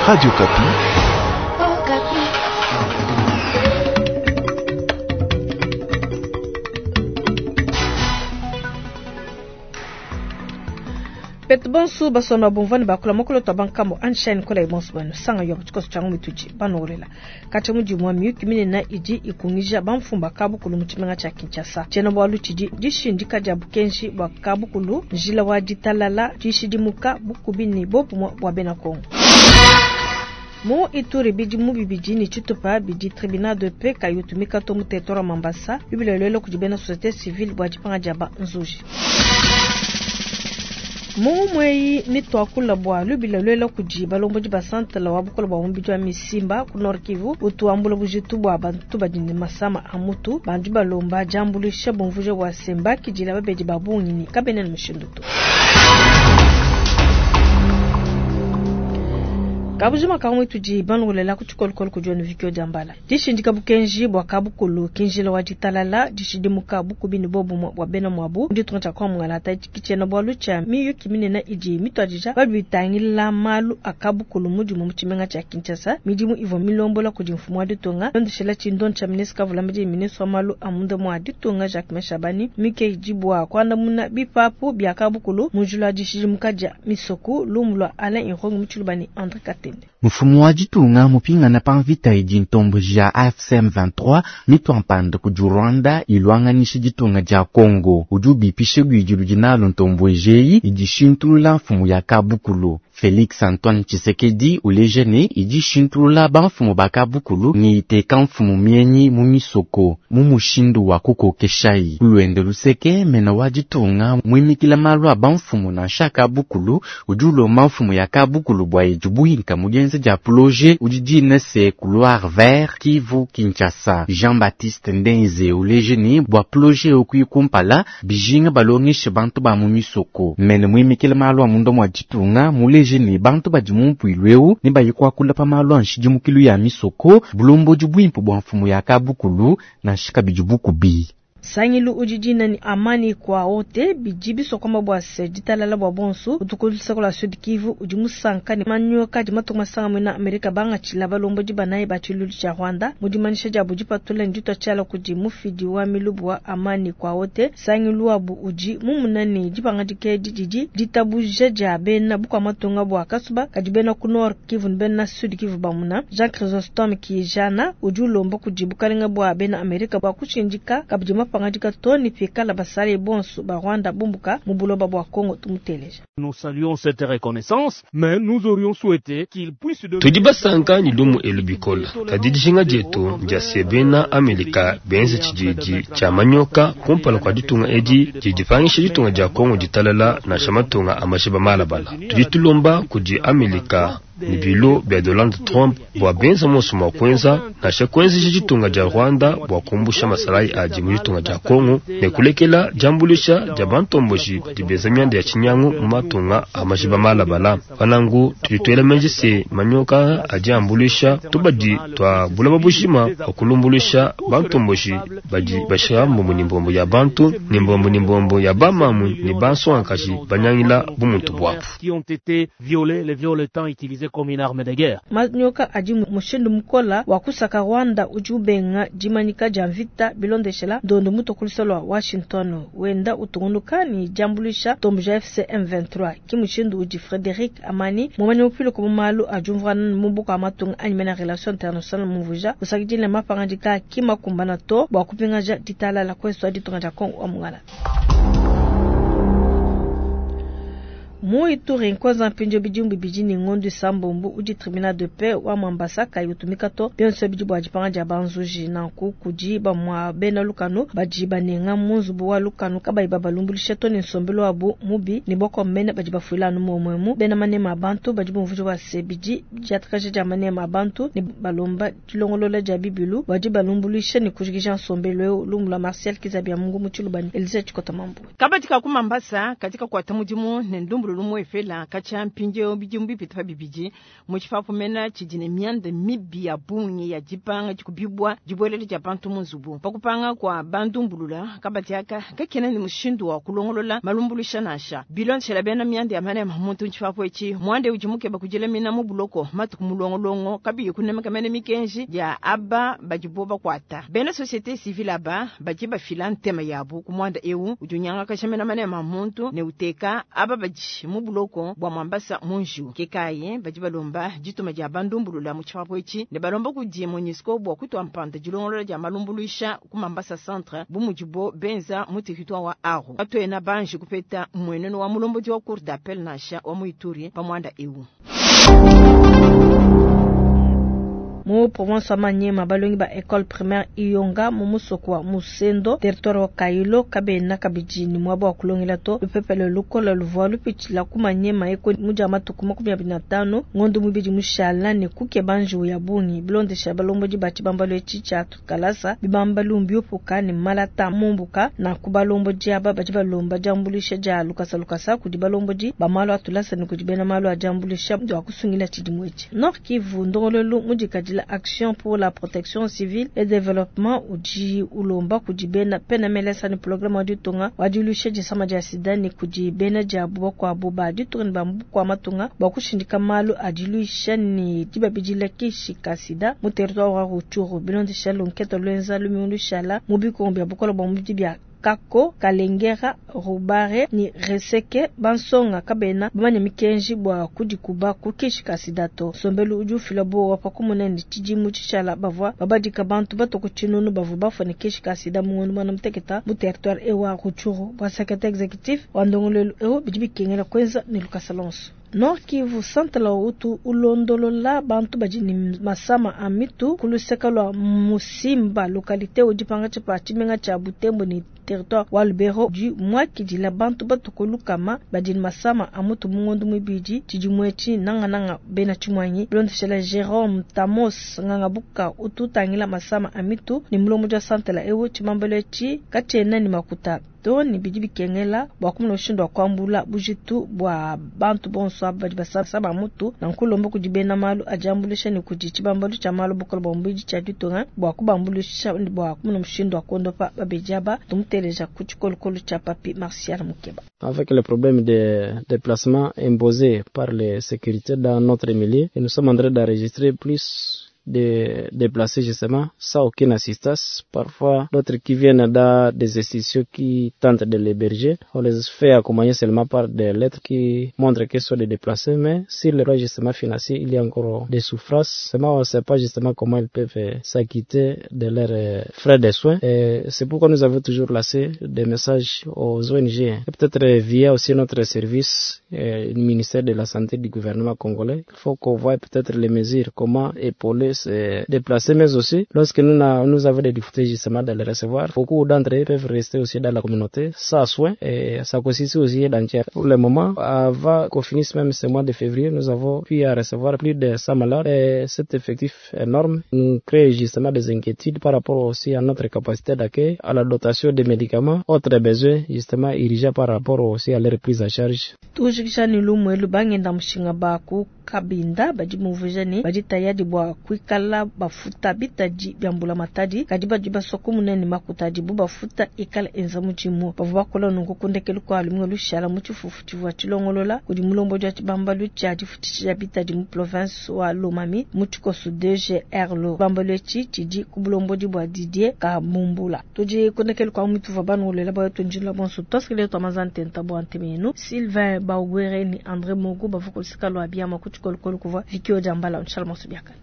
Radio Okapi. Betu bonso basomba bumvua ne bakula mokolo twa bankambo anshine kola ibonso banu sanga yo tshikoso tsha ngumituji banolela katsha mudimu wa miyuki minene idi ikungija bamfumba kabukulu mu tshimenga tsha Kinshasa. Tshiena bualu tshidi dishindika dia bukenji bua kabukulu, njila wa ditalala, dishidimuka bukubi ne bobumue bua bena Kongo. Mu Ituri bidimu bibidi ne tshitupa bidi tribunal de paix kayi utumika to mu territoire wa Mambasa, bibila lelo kudi bena société civile bua dipanga dia ba nzuji. Mu mweyi mituakula bua lubila lwela kudi balombodi ba santala wa bukola bua mubidi wa misimba ku Nord Kivu utuambula bujitu bua bantu badi ne masama a mutu bandi balomba diambuluisha bumvuja bua semba kidila babedi ba bungi ne kabena ne mushindu to. Kabujima kamwe tudi banongolela ku tshikolokolo kudi onu vikio dia mbala. Dishindika bukenji bua kabukulu kinjila wa ditalala dishidimuka bukubi ne bobumue bua bena muabu ditunga tshia kwa mungalata tshiena bualu tshia miyuki minene idi mituadija babitangila malu a kabukulu mudimu mu tshimenga tshia Kinshasa. Midimu ivua milombola kudi mfumu wa ditunga londeshela tshindo tsha ministre kavulamedi ministre wa malu a munda mua ditunga Jacquemain Shabani mike idi bua kuandamuna bipapu bia kabukulu mu njila wa dishidimuka dia misoku lumu lua Alain Irongo mu Tshilubani André Katende. Mfumu wa ditunga mupingana pa mvita idi ntomboji ya AFC M23 mitwampanda kudi Rwanda ilwanganisha ditunga dia Congo. Udi ubipisha luidi ludi nalo ntomboji eyi idi shintulula mfumu ya kabukulu. Felix Antoine Tshisekedi uleja ne idi shintulula bamfumu ba kabukulu ne iteka mfumu mienyi mu misoko mu mushindu wa kukokeshayi. Kuluende luseke mena wa ditunga muimikila malu a bamfumu nansha kabukulu udi ulomba mfumu ya kabukulu bua idi buinka mu dienza dia projet udi dina se couloir vert Kivu Kinshasa. Jean-Baptiste Ndenze uleja ne bua projet okuyi kumpala bijinga balongeshe bantu ba mu misoko. Mene muimikila malu a munda mua ditunga muleje ne bantu badi mu mpuilu eu ne bayi kuakula pa malu a nshidimukilu ya misoko bulombodi buimpe bua mfumu ya kabukulu nansha kabidi bukubi. Sangilu udi dina ni amani kwa ote bidi bisokoma bua se ditalala bua bonso utukulisa la Sud Kivu udi musanka ne manyoka di matunga masanga mwena Amerika bangatshila balombodi banayi ba tshilulu tshia Rwanda mu dimanyisha dia budi patula nditwa tshiala kudi mufidi wa milubu wa amani kwa ote. Sangilu wabu udi mumuna ne dipangadika edi didi ditabuja dia bena bukua matunga bua kasuba kadi bena ku Nord Kivu ne bena Sud Kivu bamuna. Jean Chrysostome Kijana udi ulomba kudi bukalenga bua bena Amerika bua kushindika kabidi mapangadika to ne pikala basale bonso ba Rwanda bumbuka mu buloba bua Congo tumuteleja. Nous saluons cette reconnaissance, mais nous aurions souhaité qu'il puisse devenir Tudi basanka ni lumu elu bikola. Kadi dijinga dietu dia se bena Amerika benze tshididi tshia manyoka kumpala kua ditunga edi didipangisha ditunga dia Congo ditalala nansha matunga a mashiba malabala. Tudi tulomba kudi Amerika ni bilo bia Donald Trump bua benza monso mua kuenza nansha kuenzesha ditunga dia Rwanda bua kumbusha masalayi adi mu ditunga dia Congo ne kulekela diambuluisha dia bantomboji badi benza mianda ya tshinyangu mu matunga a mashiba malabala. Panangu tudi tuela meji se manyoka adi ambuluisha tubadi tua bulaba bushima bua kulumbuluisha bantomboji badi basha mbombo ni mbombo ya bantu ni mbombo ni mbombo ya bamamu ni bansongakaji banyangila bumuntu buabu. Qui ont été violés, les viols étant utilisés comme une arme de guerre. Manyoka adi mushindu mukola wa kusaka Rwanda udi ubenga dimanyika dia mvita bilondeshela ndondo mutokulisa lwa Washington wenda utungunuka ni diambuluisha tomboja FC M23 ki mushindu udi Frederic Amani mumanyi mupilo ku malu a diumvuana mu buka matunga anyi mena relation internationale mumvuja usakidile mapangadika ki makumbana to bua kupingaja ditalala kwesu a ditunga dia Congo wa mungala. Mu Ituri nkwanza mpinjo bijumbi bijini ngondu sambombu udi tribunal de paix wa Mambasa kayi utumika to bionso bidi bua dipanga dia banzuji nanku kudi bamua bena lukanu badi banenga mu nzubu wa lukanu kabayi babalumbulisha to ne nsombelu wabu mubi ne boko mene badi bafuila anu muomuemu. Bena manema a bantu badi bumvuja bua se bidi diatakaja dia manema a bantu ne balomba dilongolola dia bibilu badi balumbuluisha ne kujikija nsombelu eu. Lumu lua Martial Kizabia Mungu mu Tshilubani, Elise Tshikota Mambu. Kabadi ka ku Mambasa katika kuata mudimu ne ndumbu. ndumbulula umuepela katshia mpindieu bidimu bipite pa bibidi mu tshipapu mena tshidi ne mianda mibi ya bungi ya dipanga dikubibua dibuelele dia bantu mu nzubu. Pa kupanga kua bandumbulula kabadi aka kakena ne mushindu wa kulongolola malumbuluisha nansha. Bilondeshela bena mianda ya manema muntu mu tshipapu etshi, muanda udi mukeba kudilamina mu buloko matuku mulongolongo kabiyi kunemeka mene mikenji ya aba badibo bakuata. Bena societe civile aba badi bafila ntema yabu ku muanda eu udi unyangakaja mena manema a muntu ne uteka aba badi mu buloko bua Mambasa mu njiwu. Ke kayi badi balomba dituma dia bandumbulula mu tshipapu etshi ne balomba kudi MONUSCO bua kutua mpanda dilongolola dia malumbuluisha ku Mambasa Centre bu mudibo benza mu territoire wa Aru. Katuena banji kupeta mmuenenu wa mulombodi wa cour d'appel nansha wa mu Ituri pa muanda eu. Mu province wa Maniema, balongi ba ecole primaire Iyonga mu musoko wa Musendo, territoire wa Kailo, kabena kabidi ne muaba wa kulongela to. Lupepele lukola luvua lupitshila ku Maniema eko mu dia matuku 25 ngondo muibidi mushala ne kukeba njiwu ya bungi. Bilondesha balombodi ba tshibambalu etshi tshia tukalasa, bibambalu mbiupuka ne malata mumbuka. Nanku balombodi aba badi balomba diambuluisha dia lukasa lukasa kudi balombodi ba malu a tulasa ne kudi bena malu a diambuluisha bua kusungila tshidimu etshi. Nord Kivu, ndongoluelu mudikadila Action pour la protection civile et développement udi ulomba kudi bena PNMLS ne programme wa ditunga wa diluisha disama dia sida ne kudi bena diabu bakuabu ba ditunga ne ba bukua matunga bua kushindika malu a diluisha ne dibabidila kishi ka sida mu territoire wa Rutshuru. Bilondesha lunkete luenza lumingu lushala mu bikongo bia bukole bua mubidi bia Kako, Kalengera, Rubare ne Reseke, bansonga kabena bamanye mikenji bua kudikuba ku kishi ka sida to. Nsombelu udi ufila buowa pa kumona ne tshidimu tshishala bavua babadika bantu batue ku tshinunu bavua bafua ne kishi ka sida mu ngondo muanda mutekete mu territoire eu wa Rutshuru. Bua secretaire executif wa ndongoluelu eu, bidi bikengela kuenza ne lukasa luonso. Nord Kivu, santala utu ulondolola bantu badi ne masama a mitu ku luseke lua Musimba, localité udi pankatshi pa tshimenga tshia Butembo ne territoire wa Lubero, udi muakidila bantu batue ku lukama badi ne masama a mutu mu ngondo muibidi tshidimu etshi, nangananga bena tshimuangi. Bilondeshela Jerome Tamos Ngangabuka utu utangila masama a mitu ne mulombodi wa santala eu, tshibambalu etshi katshiena ne makuta to ne bidi bikengela bua kumona mushindu wa kuambula bujitu bua bantu bonso aba badi basama mutu. Nanku ulomba kudi bena malu a diambuluisha ne kudi tshibambalu tshia malu bukole bua mubidi tshia ditunga bua kubambuluisha bua kumona mushindu wa kuondopa babedi aba. Tumuteleja ku tshikolokolo tshia Papi Martial Mukeba. Avec le problème de déplacement imposé par les sécurités dans notre milieu, et nous sommes en train d'enregistrer plus de déplacés justement sans aucune assistance. Parfois, d'autres qui viennent dans des institutions qui tentent de l'héberger, on les fait accompagner seulement par des lettres qui montrent qu'ils sont des déplacés, mais sur le justement financier, il y a encore des souffrances. Seulement, on ne sait pas justement comment ils peuvent s'acquitter de leurs frais de soins. Et c'est pourquoi nous avons toujours laissé des messages aux ONG, et peut-être via aussi notre service, le ministère de la Santé du gouvernement congolais. Il faut qu'on voie peut-être les mesures, comment épauler se déplacer, mais aussi lorsque nous, nous avons des difficultés justement de les recevoir, beaucoup d'entre eux peuvent rester aussi dans la communauté sans soins et ça consiste aussi d'entière. Pour le moment, avant qu'on finisse même ce mois de février, nous avons pu recevoir plus de 100 malades et cet effectif énorme nous crée justement des inquiétudes par rapport aussi à notre capacité d'accueil, à la dotation des médicaments, autres besoins justement urgents par rapport aussi à leur prise en charge. Tujikisha ni lumwe lubangenda mushinga ba ku kabinda badi mumvuija ne badi tayadi bua kuikala bafuta bitadi bia mbula matadi kadi badi basua kumuna ne makuta adibu bafuta ikala enza mudimu. Bavua bakola nunku ku ndekelu kua lumingu lushala mu tshifufu tshivua tshilongolola kudi mulombodi wa tshibambalu tshia difutshisha dia bitadi mu province wa Lomami mu tshikoso DGR. Lo tshibambalu etshi tshidi ku bulombodi bua Didier Kabumbula. Tudi ku ndekelu kua mutuvua banunguluela bua tunjila bonso tuasikile tua ntenta bua ntemenu Sylvain Baugwere ni André Mogu bavua ku luseka lua biama ku tshikolokolo kuvua Vicky Odiambala. Nshala monso biakane.